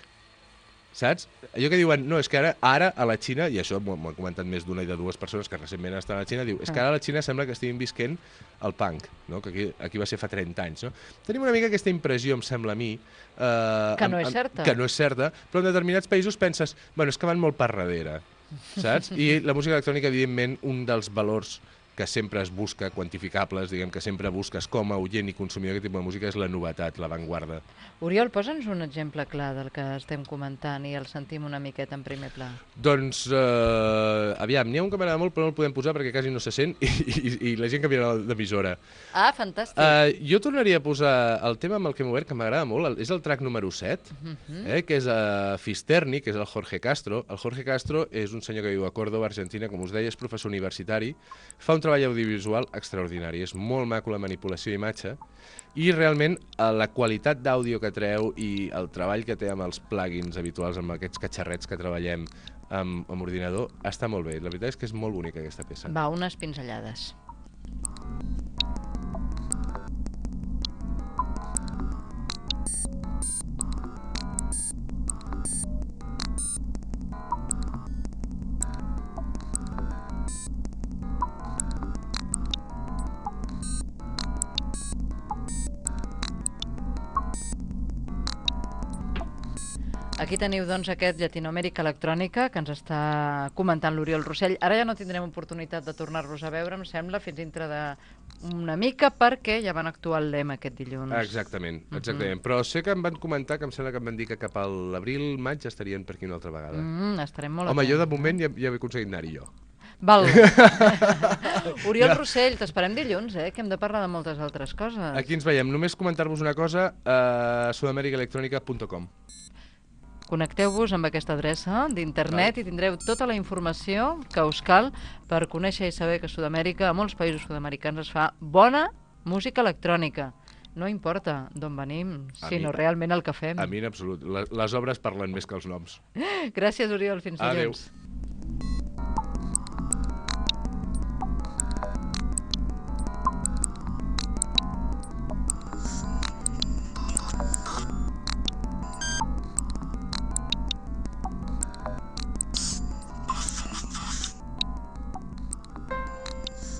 Speaker 10: Saps? Allò que diuen, no, és que ara, ara a la Xina, i això m'ho m'ho han comentat més d'una i de dues persones que recentment estan a la Xina, diu, és que ara a la Xina sembla que estiguin visquent el punk, no? Que aquí, aquí va ser fa trenta anys. No? Tenim una mica aquesta impressió, em sembla a mi... Eh,
Speaker 4: Que no
Speaker 10: amb-
Speaker 4: és certa.
Speaker 10: amb- Que no és certa, però en determinats països penses, bueno, és que van molt per darrere, saps? I la música electrònica, evidentment, un dels valors que sempre es busca, quantificables, diguem que sempre busques com a oient i consumidor d'aquest tipus de música, és la novetat, l'avantguarda.
Speaker 4: Oriol, posa'ns un exemple clar del que estem comentant i el sentim una miqueta en primer pla.
Speaker 10: Doncs, eh, aviam, n'hi ha un que m'agrada molt, però no el podem posar perquè quasi no se sent i, i, i la gent canviarà d'emissora.
Speaker 4: Ah, fantàstic.
Speaker 10: Uh, jo tornaria a posar el tema amb el que m'he obert, que m'agrada molt, el, és el track número set,
Speaker 4: Mhm.
Speaker 10: eh, que és a Fisterni, que és el Jorge Castro. El Jorge Castro és un senyor que viu a Córdoba, Argentina, com us deia, és professor universitari, fa un treball audiovisual extraordinari, és molt maco la manipulació d'imatge, i realment eh, la qualitat d'àudio que treu i el treball que té amb els plugins habituals, amb aquests catxarrets que treballem amb, amb ordinador, està molt bé. La veritat és que és molt bonica aquesta peça.
Speaker 4: Va, unes pinzellades. Aquí teniu, doncs, aquest Llatinoamèrica Electrònica que ens està comentant l'Oriol Rossell. Ara ja no tindrem oportunitat de tornar-los a veure, em sembla, fins dintre d'una mica, perquè ja van actuar al L E M aquest dilluns.
Speaker 10: Exactament, exactament. Però sé que em van comentar, que em sembla que em van dir que cap a l'abril, maig estarien per aquí una altra vegada.
Speaker 4: Mm, estarem molt
Speaker 10: Home,
Speaker 4: atents.
Speaker 10: jo de moment ja, ja he aconseguit anar-hi jo.
Speaker 4: Val. Oriol Rossell, t'esperem dilluns, eh? Que hem de parlar de moltes altres coses.
Speaker 10: Aquí ens veiem. Només comentar-vos una cosa, a sudamerica electronica punt com.
Speaker 4: Connecteu-vos amb aquesta adreça d'internet i tindreu tota la informació que us cal per conèixer i saber que a Sud-amèrica, a molts països sud-americans, es fa bona música electrònica. No importa d'on venim,
Speaker 10: A
Speaker 4: sinó
Speaker 10: mi-
Speaker 4: realment el que fem.
Speaker 10: A mi en absolut. Les, les obres parlen més que els noms.
Speaker 4: Gràcies, Oriol. Fins dilluns.
Speaker 10: Adéu.